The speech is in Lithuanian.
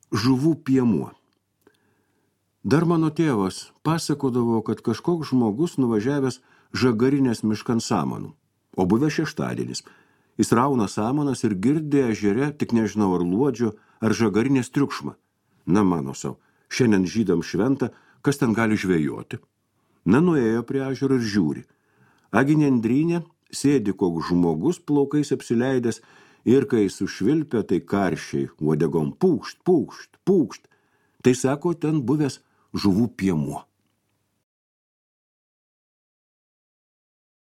Žuvų piemuo. Dar mano tėvas pasakodavo, kad kažkoks žmogus nuvažiavęs žagarinės miškan samanų, o buvę šeštadienis. Jis rauna samanas ir girdė ežere, tik nežinau ar luodžio, ar žagarinės triukšmą. Na, mano sau, šiandien žydam šventa, kas ten gali žvejoti. Na, nuėjo prie ežero ir žiūri. Agi nendrynė sėdi koks žmogus plaukais apsileidęs ir kai sušvilpia, tai karščiai uodegom pūkšt, pūkšt, pūkšt. Tai sako, ten buvęs žuvų piemuo.